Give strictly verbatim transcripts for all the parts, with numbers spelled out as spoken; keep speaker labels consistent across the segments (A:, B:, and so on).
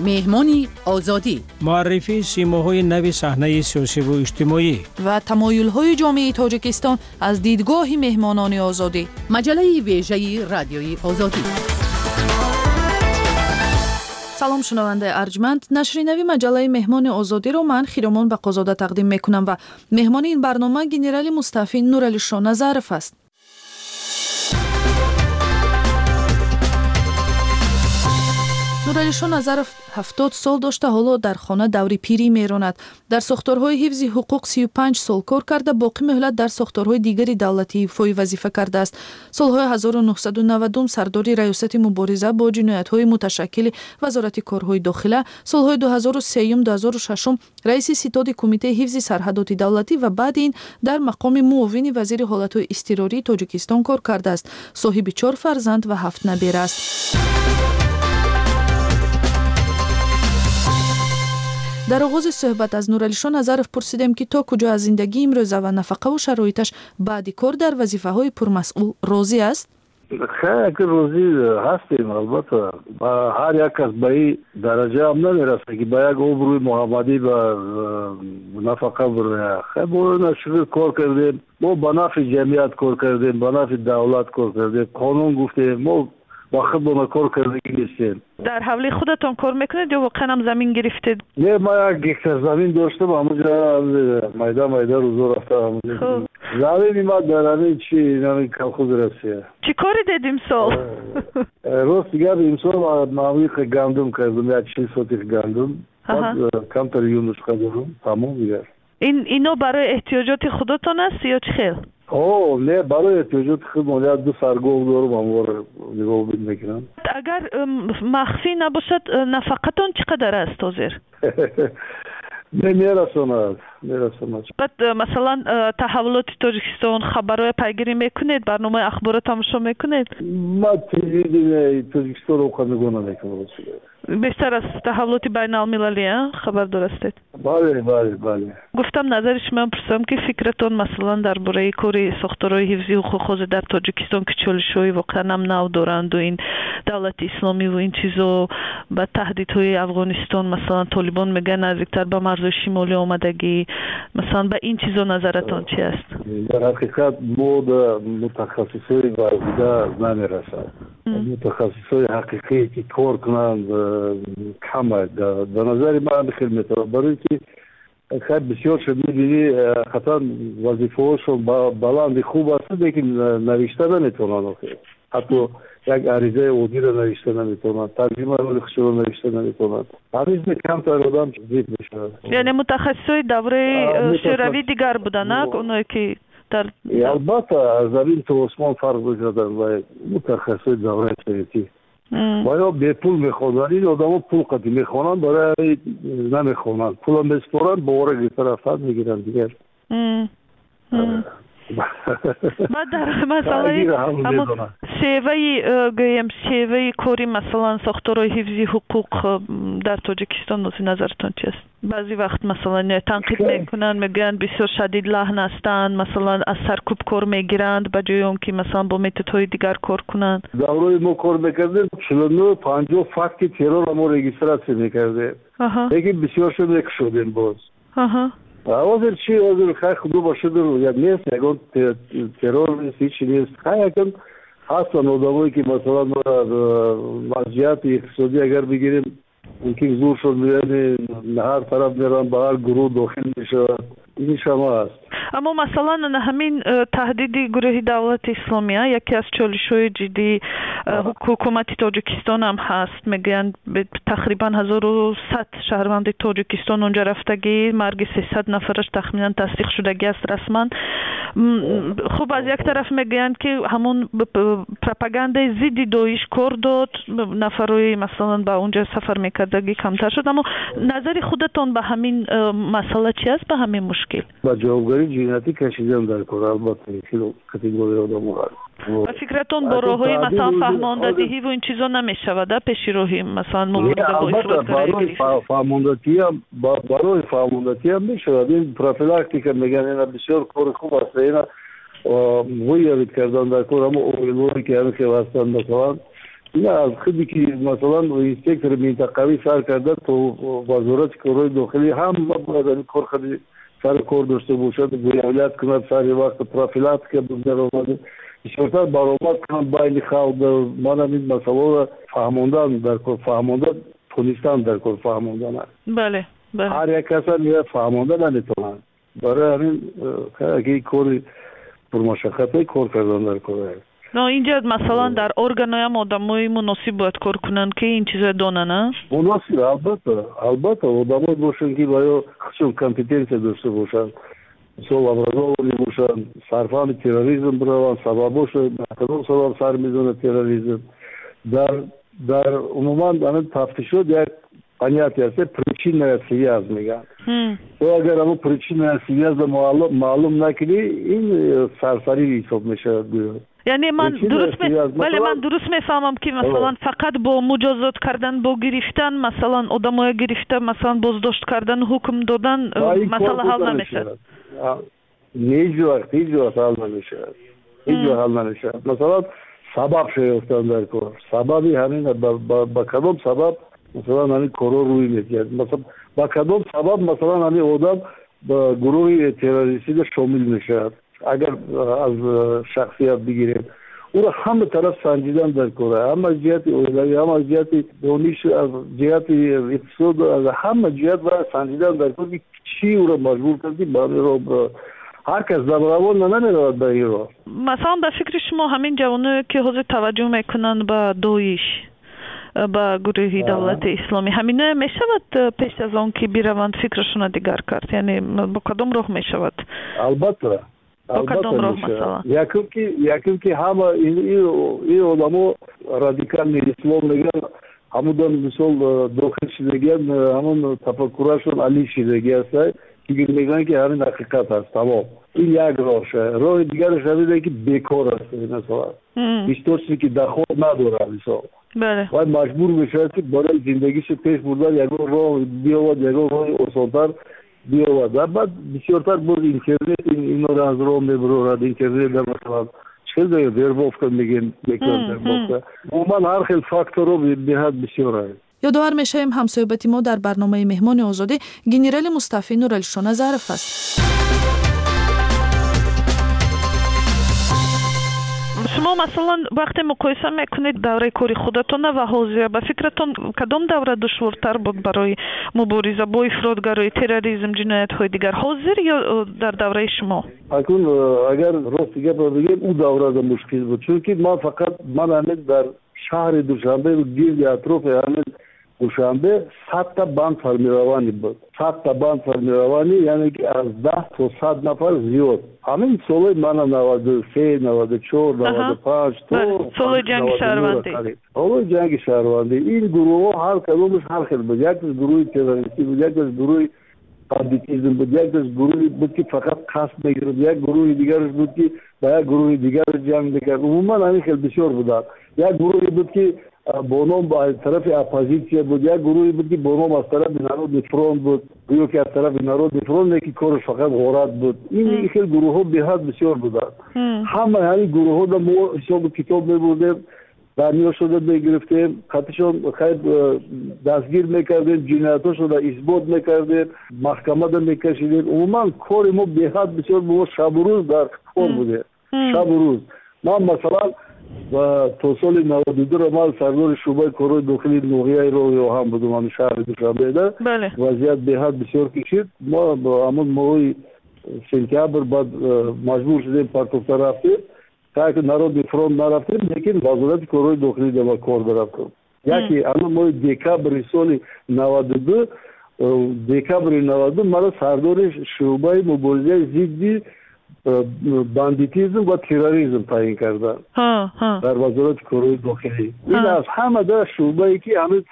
A: Меҳмони Озодӣ.
B: Муаррифии симоҳои нави саҳнаи сиёсиву иҷтимоӣ
C: ва тамоюлҳои ҷомеаи Тоҷикистон аз дидгоҳи меҳмонони Озодӣ.
A: Маҷаллаи вежаи Радиои Озодӣ.
C: Салом, шунавандаи арҷманд. Нашри нави маҷаллаи Меҳмони Озодиро ман, Хиромон Бақозода, тақдим мекунам ва меҳмони ин барнома генерали мустаъфӣ Нуралишо Назаров аст. Нуралишо Назаров ҳафтод сол дошта, ҳоло дар хона даври пирӣ меронад. Дар сохторҳои ҳифзи ҳуқуқ сию панҷ сол кор карда, боқӣ муҳлат дар сохторҳои дигари давлатӣ ифои вазифа кардааст. Солҳои ҳазору нуҳсаду навадум сардори Раёсати мубориза бо ҷиноятҳои муташаккили Вазорати корҳои дохила, солҳои дуҳазору сеюм дуҳазору шашум раиси ситоди Кумитаи ҳифзи сарҳадоти давлатӣ ва баъди ин дар мақоми муовини вазири ҳолатҳои изтирории Тоҷикистон кор кардааст. Соҳиби чор фарзанд ва ҳафт набера аст. Дар оғози суҳбат аз Нуралишо Назаров пурсидем, ки то куҷо аз зиндагии имрӯза ва нафақаву шароиташ баъди кор дар вазифаҳои пурмасъул розӣ аст?
D: Хеле розӣ ҳастем, албатта. Ҳар як кас ба ин дараҷаам намерасад, ки ба як обрӯи муҳаммадӣ ба нафақа бирояд. Хеле бо шукр кор кардем, мо ба нафъи ҷамъият кор кардем, ба нафъи давлат кор кардем, қонун гуфтем, мо ба худмона кор кардагӣ нестем.
E: Дар ҳавлии худатон кор мекунед ё воқеан ҳам замин гирифтед?
D: Не, ман як гектар замин доштам, ҳамонҷо майда майда рӯзо рафта ҳамонҷо. Замини ман дар ҳамин чи ҳамин колхози Россия.
E: Чӣ коре дед имсол?
D: Рости гап, имсол ман гандум кардам, як чил сотих гандум, камтар юнучқа дорам, тамом дигар.
E: Ин ино барои эҳтиёҷоти худатон аст ё чӣ хел?
D: О, не, барои эҳтиёҷоти худ як ду сар гов дорам, ҳамвора нигоҳубин мекунам.
E: Агар махфӣ набошад, нафақатон чӣ қадар аст ҳозир?
D: Не, мерасонад, мерасонад.
E: Баъд масалан таҳаввулоти Тоҷикистон, хабарҳоя пайгирӣ мекунед, барномаи ахборро тамошо мекунед?
D: Ман телевиденияи Тоҷикистонро он қадар нигоҳ намекунам.
E: Бештар аз таҳаввулоти байналмилалӣ хабардор ҳастед?
D: Бале, бале, бале.
E: Гуфтам назари шумоам пурсам, ки фикратон масалан дар бораи кори сохторҳои ҳифзи ҳуқуқ ҳозир дар Тоҷикистон, ки чолишҳои воқеан ҳам нав доранду ин давлати исломиву ин чизо, ба таҳдидҳои Афғонистон, масалан толибон мегӯянд наздиктар ба марзҳои шимолӣ омадагӣ, масалан ба ин чизо назаратон чи аст?
D: Дар ҳақиқат мо мутахассисҳои варзида намерасад. Мутахассисҳои ҳақиқие ки кор кунанд кам аст. Ба назари ман хел метавонад, барои ки хеле бисёр шуд мебинӣ, хатан вазифаҳошон баланди хуб аст, лекин навишта наметавонанд охир. Ҳатто як аризаи оддиро навишта наметавонанд, тарҷимаи ҳоли худшонро навишта наметавонанд. Ҳамин камтар одам зид мешавад.
E: Яъне мутахассисҳои давраи шӯравӣ дигар буданд, на оное ки дар
D: албатта аз замин то осмон фарқ мекарданд ва мутахассисҳои давраи советӣ. Ва ё бепул мехонданд. Ин одамо пул қатӣ мехонанд, барои намехонанд. Пула месупоранд, бовара гирифта рафтан мегиранд дигар.
E: Баъд дар масъалаи шеваи, гӯем, шеваи кори масалан сохторҳои ҳифзи ҳуқуқ дар Тоҷикистон нози назаратон чи аст? Баъзе вақт масалан танқид мекунанд, мегӯянд бисёр шадид лаҳн ҳастанд, масалан аз саркӯб кор мегиранд ба ҷои он ки масалан бо методҳои дигар кор кунанд.
D: Даврои мо кор мекардем, чилу нӯ панҷоҳ факти террорро мо регистратсия мекардем, лекин бисёршо мекушодем боз. Ҳозир чи? Ҳозир хай худо ба шукр як нест, ягон террор нест, ҳичи нест. Хай якам ҳастанд одамое ки масалан аз ҷиҳати иқтисодӣ агар бигирем, мумкин зур шуд, яъне ҳар тараф мераванд, ба ҳар гурӯҳ дохил мешавад. Ин шама аст.
E: Аммо масалан ҳамин таҳдиди гурӯҳи давлати исломия яке аз чолишҳои ҷиддии ҳукумати Тоҷикистон ҳам ҳаст. Мегӯянд тақрибан ҳазору сад шаҳрванди Тоҷикистон онҷа рафтагӣ, марги сесад нафараш тахминан тасдиқ шудагӣ аст расман. Хуб, аз як тараф мегӯянд, ки ҳамон пропагандаи зидди Доиш кор дод, нафарҳои масалан ба онҷа сафар мекардагӣ камтар шуд. Аммо назари худатон ба ҳамин масъала чи аст, ба ҳамин мушкил?
D: Ба ҷавобгарии ҷиноятӣ кашидан дар кор, албатта, категорияи одамо ҳаст.
E: Ба фикратон бо роҳҳои масалан фаҳмондадиҳиву ин чизо намешавад пеши роҳи масалан мубориза бо
D: барои фаҳмондатиам, барои фаҳмондатиам мешавад. Ин профилактика мегӯянд, ина бисёр кори хуб аст. Ина выявить кардан дар кор ҳамо оилаҳое ки ҳамин хел ҳастанд, масалан Ина аз худи ки масалан инспектори минтақавӣ сар карда то вазорати корҳои дохилӣ ҳама бояд ҳамин кор хади сари кор дошта бошад, выявлять кунад сари вақт, профилактика бигзаронад, бисёртар баромад кунанд байни халқ. Ман ҳамин масъаларо фаҳмондан дар кор, фаҳмонда тонистан дар кор, фаҳмондан.
E: Бале, бале.
D: Ҳар як каса фаҳмонда наметавонанд. Барои ҳамин ки кори пурмашаққате кор кардан дар кор аст.
E: Но инҷа масалан дар органоям одамои муносиб бояд кор кунанд, ки ин чизоя донанд, а?
D: Муносиб, албатта, албатта, одамое бошанд, ки ба ё худшон компетенсия дошта бошанд, мисол образованный бошанд, сарфаҳми терроризм бираванд, сабабошо кадом сабаб сар мезанад терроризм. Дар дар умуман ҳамин тафтишот як понятие аст, причинная связь мегӯянд. То агар ҳамон причинная связь маълум накунӣ, ин сарсарӣ ҳисоб мешавад гӯё.
E: Яъне ман дуруст, бале, ман дуруст мефаҳмам, ки масалан фақат бо муҷозот кардан, бо гирифтан, масалан одамоя гирифта, масалан боздошт кардан, ҳукм додан масъала ҳал намешавад.
D: Ҳеҷ вақт, ҳеҷ вақт ҳал намешавад, ҳеҷ вақт ҳал намешавад. Масалан сабаб шоёфтан дар кор, сабаби ҳамин ба кадом сабаб масалан ҳамин корҳо рӯй медиҳад, ба кадом сабаб масалан ҳамин одам ба гурӯҳи террористида шомил мешавад. Агар аз шахсият бигирем, ӯро ҳама тараф санҷидан дар кор, ҳама аз ҷиҳати оилавӣ, ҳама аз ҷиҳати дониш, аз ҷиҳати иқтисод, аз ҳама ҷиҳат бояд санҷидан дар кор, ки чӣ ӯро маҷбур кард, ки ба ҳамин роҳ биравад. Ҳар кас добровольно намеравад ба ин роҳ.
E: Масалан ба фикри шумо ҳамин ҷавоное, ки ҳозир таваҷҷӯҳ мекунанд ба Доиш, ба гурӯҳи давлати исломӣ, ҳаминое мешавад пеш аз он ки бираванд фикрашонро дигар кард? Яъне бо кадом роҳ мешавад?
D: Албатта,
E: бо кадом роҳ масалан?
D: Якум ки якум ки ҳама ин одамо радикални ислом мегӯянд, ҳамудан мисол дохил шидагиянд, ҳамон тафаккурашон алӣ шидаги аст, фикр мекунанд, ки ҳамин ҳақиқат аст, тамом. Ин як роҳ. Роҳи дигараш ҳамин ки бекор аст, масалан источники доход надорад, мисол вай маҷбур мешавад, ки барои зиндагиашо пеш бурдан ягон роҳ биёвад, ягон роҳи осонтар биёвад. Ва баъд бисёртар боз интернет инро аз роҳ мебарорад. Интернет масалан чӣ хел вербовка мегӯем, мекунанд вербовка. Умуман ҳар хел факторҳо беҳад бисёр аст.
C: Ёдовар мешавем, ҳамсӯҳбати мо дар барномаи Меҳмони Озодӣ генерали мустафӣ Нуралишо Назаров аст.
E: Шумо масалан вақте муқоиса мекунед давраи кори худатона ва ҳозира, ба фикратон кадом давра душвортар буд барои мубориза бо ифротгароӣ, терроризм, ҷиноятҳои дигар, ҳозир ё дар давраи шумо?
D: Акун агар рости гапро бигем, ӯ даврада мушкил буд, чунки ман фақат ман ҳамин дар шаҳри Душанбе гирди атрофи ҳамин Душанбе садта банд формированӣ буд. Садта банд формированӣ, яъне ки аз даҳ то сад нафар зиёд. Ҳамин солҳои мана наваду се, наваду чор, наваду панҷ то
E: солҳои ҷанги шаҳрвандӣ.
D: Солҳои ҷанги шаҳрвандӣ. Ин гурӯҳҳо ҳар кадомаш ҳар хел буд. Якаш гурӯҳи террористӣ буд, якаш гурӯҳи бандитизм буд, якаш гурӯҳи буд, ки фақат қасд мегирифт, як гурӯҳи дигараш буд, ки ба як гурӯҳи дигар ҷанг мекард. Умуман ҳамин хел бисёр буданд. Як гурӯҳе буд, ки бо ном аз тарафи оппозитсия буд, як гурӯҳе буд, ки бо ном аз тарафи Народный фронт буд, гӯё ки аз тарафи Народный фронт, лекин кораш фақат ғорат буд. Ин хел гурӯҳҳо беҳад бисёр буданд. Ҳама ҳамин гурӯҳҳода мо ҳисобу китоб мебурдем, дарёшуда мегирифтем, қатишон хайр дастгир мекардем, ҷиноятҳошонро исбот мекардем, маҳкамада мекашидем. Умуман кори мо беҳад бисёр, мо шабу рӯз дар кор будем, шабу рӯз. Ман масалан то соли наваду дуро ман сардори шӯъбаи корҳои дохилии ноҳияи роҳи оҳан будам, ҳамин шаҳри Душанбеда. Вазъият беҳад бисёр кишид. Мо ҳамон моҳи сентябр баъд маҷбур шудем, партофта рафтем. Так Народный фронт нарафтем, лекин вазорати корҳои дохилӣ ба кор дарафтем. Яке ҳамон моҳи декабри соли наваду ду, декабри наваду ду маро сардори шӯъбаи муборизаи зидди бандитизм ва терроризм таъин карданд дар вазорати корҳои дохилӣ. Ин аз ҳама да шӯъбае, ки ҳамин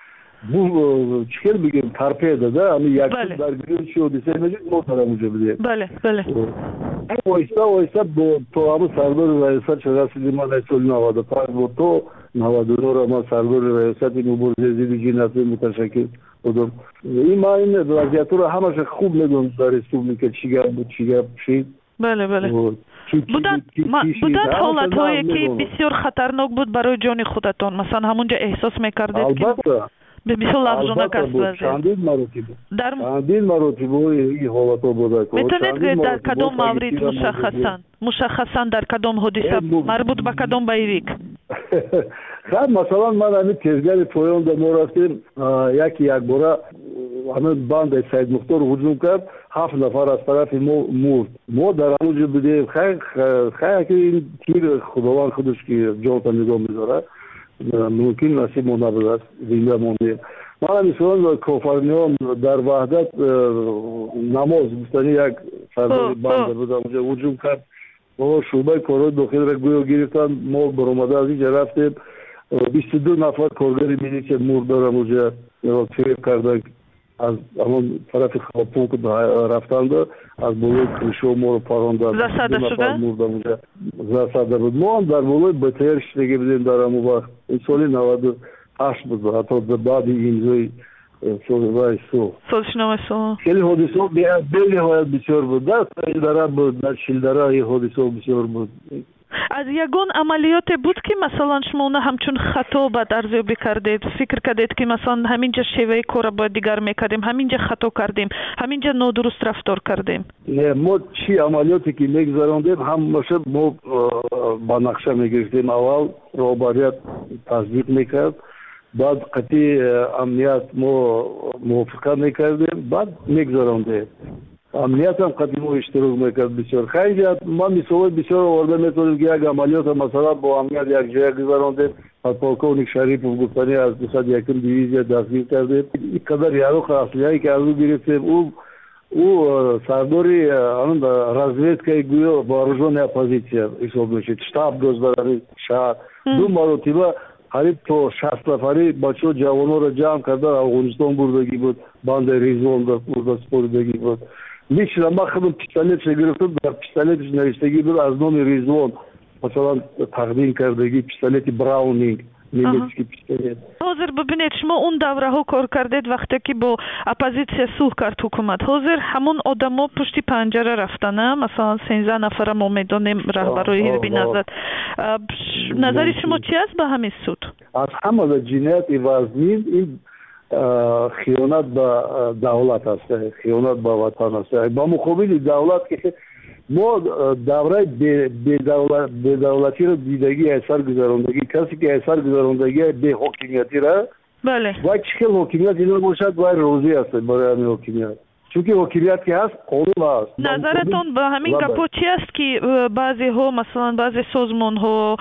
D: чӣ хел бигем, торпеда да, ҳамин як дар гирён чӣ ҳодиса мешуд, мо дар ҳамонҷо будем.
E: Бале, бале.
D: Оҳиста оҳиста то ҳамон сардори раёсат расидем. Ман аз соли наваду панҷ буд то наваду нӯҳ ман сардори раёсати муборизаи зидди ҷиноятҳои муташаккил будам. Ин ман ин вазъиятҳоро ҳамаша хуб медонам дар республика, чӣ гап буд, чӣ гап шид.
E: Бале, бале. Буданд ҳолатҳое, ки бисёр хатарнок буд барои ҷони худатон? Масалан, ҳамунҷо эҳсос мекардед, ки бисёр лағжонак аст вазъият?
D: Чандин маротиба, чандин маротиба ин ҳолатҳо буда.
E: Метавонед гӯед, дар кадом маврид мушаххасан, мушаххасан дар кадом ҳодиса, марбут ба кадом боевик?
D: Хай, масалан, ман ҳамин тезгари поёнда мо рафтем, яки якбора ҳамин бандаи Саидмухтор ҳуҷум кард, ҳафт нафар аз тарафи мо мурд. Мо дар ҳамон ҷо будем. Хай, хай, ки ин тир Худованд худаш ки ҷонта нигоҳ медорад, мумкин насиб мо набудааст, зинда мондем. Мана, мисолан, Кофарниён дар Ваҳдат э, намоз гуфтани як сардори банда буд, онҷо ҳуҷум кард, мо шӯъбаи корҳои дохилиро гӯё гирифтанд. Мо баромада аз инҷа рафтем, бисту ду нафар коргари милитсия мурд дар ҳамонҷа, фиреб карда аз ҳамон тарафи пункт рафтанду аз болои крышо моро паронданд.
E: Засада шуда?
D: Мурд ҳамонҷа, засада буд. Мо ҳам дар болои Б Т Р шиштагӣ будем дар ҳамон вақт. Ин соли наваду ҳашт буд, ҳатто баъди имзои созишномаи сулҳ.
E: Созишномаи сулҳ.
D: Хеле ҳодисаҳо бениҳоят бисёр буд. Дар Саилдара буд, дар Чилдара ин ҳодисаҳо бисёр буд.
E: Аз ягон амалиёте буд, ки масалан шумо она ҳамчун хато баъд арзёбӣ кардед, фикр кардед, ки масалан ҳамин ҷа шеваи корро бояд дигар мекардем, ҳамин ҷа хато кардем, ҳамин ҷа нодуруст рафтор кардем?
D: Не, мо чӣ амалиёте ки мегузарондем, ҳамаша мо ба нақша мегирифтем. Аввал роҳбарият тасдиқ мекард, баъд қатъи амният мо мувофиқа мекардем, баъд мегузарондем. Амниятам қатъи мо иштирок мекард бисёр. Хайҷа ман мисолҳои бисёр оварда метавонем, ки як амалиёта, масалан, бо амният якҷоя гузарондем. Подполковник Шарипов гуфтани аз дусад якум дивизия дастгир кардем. Ин қадар яроқ, аслиҳае ки аз ӯ гирифтем, ӯ ӯ сардори разведкаи гӯё вооружённая оппозиция ҳисоб мешид, штаб дошт дар ҳамин шаҳр. Ду маротиба қариб то шаст нафари бачаҳо, ҷавонҳоро ҷамъ карда, Афғонистон бурдагӣ буд, бандаи Ризвон бурда супоридагӣ буд. Лично ман худам пистолетша гирифтам, дар пистолетш навиштагӣ буд: аз номи Ризвон, масалан, тақдим кардагӣ, пистолети Браунинг, немецкий пистолет.
E: Ҳозир бибинед, шумо он давраҳо кор кардед, вақте ки бо оппозитсия сулҳ кард ҳукумат. Ҳозир ҳамон одамо пушти панҷара рафтана, масалан, сенздаҳ нафара мо медонем, раҳбарои ҳизби Наҳзат. Назари шумо чи аст ба ҳамин суд?
D: Аз ҳамада ҷинояти вазнин ин хиёнат ба давлат аст, хиёнат ба ватан аст, ба муқобили давлат, ки мо давраи бедавлатиро дидагӣ, аз сар гузарондагӣ. Касе ки аз сар гузарондагӣ беҳокимиятира,
E: бале
D: вай чӣ хел ҳокимият ино бошад, вай розӣ аст барои ҳамин ҳокимият, чунки ҳокимият ки ҳаст, қонун ҳаст.
E: Назаратон ба ҳамин гапҳо чи аст, ки э, баъзеҳо, масалан, баъзе созмонҳо,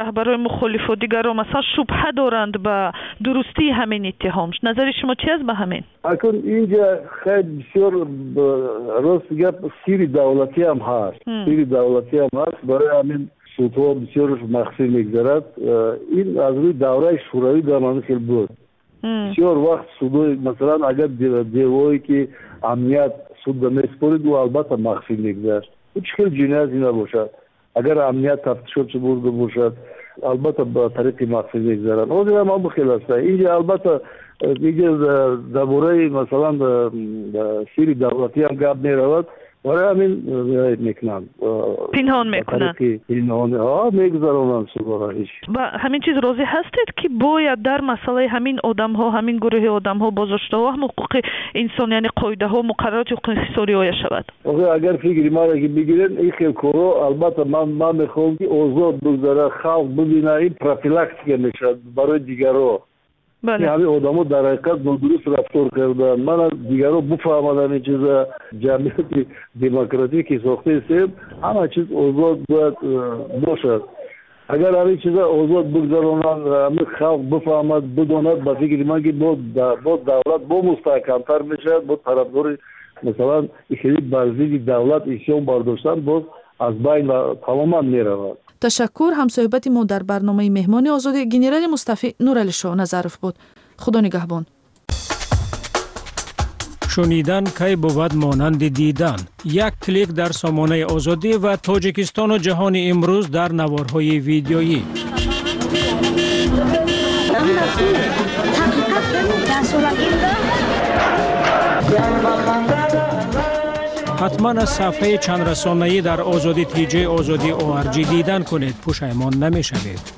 E: раҳбарои мухолифу дигарро, масалан, шубҳа доранд ба дурустии ҳамин иттиҳом? Назари шумо чи аст ба ҳамин?
D: Акун инҷа хеле бисёр, рости гап, сири давлатиам ҳаст, сири давлатиам ҳаст. Барои ҳамин судҳо бисёрш махфӣ мегузарад. Э, ин аз рӯи давраи шӯравӣ дар ҳамин хел буд. Бисёр вақт судои, масалан, агар девое ки амният судда месупорид, ӯ албатта махфӣ мегузашт. Ӯ чӣ хел ҷинояте набошад, агар амният тафтишотшо бурда бошад, албатта ба тариқи махфӣ мегузарад. Ҳозир ҳам ҳамон хел аста инҷа. Албатта, инҷа дар бораи, масалан, сири давлатиам гап меравад, барои ҳамин мекунанд.
E: Пинҳон мекунанд.
D: Пинҳон мегузаронанд судора ҳеч.
E: Ба ҳамин чиз розӣ ҳастед, ки бояд дар масъалаи ҳамин одамҳо, ҳамин гурӯҳи одамҳо, боздоштаҳо ҳам ҳуқуқи инсон, яъне қоидаҳо, муқаррароти ҳуқуқи инсон риоя шавад?
D: Агар фикри маро ки бигирем, ин хел корҳо, албатта, ман ман мехоҳам, ки озод бигзарад, халқ бибинад. Ин профилактика мешавад барои дигарҳо. Ҳамин одамо дар ҳақиқат нодуруст рафтор карданд, мана дигарҳо буфаҳманд ҳамин чиза. Ҷамъияти демократӣ ки сохтаистем, ҳама чиз озод бояд э, бошад. Агар ҳамин чиза озод бигзаронанд, ҳамин халқ бифаҳмад, бидонад, ба фикри ман, ки бо давлат бо мустаҳкамтар мешавад, бо тарафдори, масалан, хеле бар зидди давлат исён бардоштан боз аз байн тамоман меравад.
C: Ташаккур. Ҳамсӯҳбати мо дар барномаи Меҳмони озодӣ генерали мустафӣ Нуралишоҳ Назаров буд. Худо нигаҳбон.
B: Шунидан кай бувад монанди дидан? Як клик дар сомонаи Озодӣ ва Тоҷикистону ҷаҳони имрӯз дар наворҳои видеоӣ. Ҳатман аз сафҳаи чандрасонаӣ дар Озодӣ T J Озодӣ O R G дидан кунед. Пушаймон намешавед.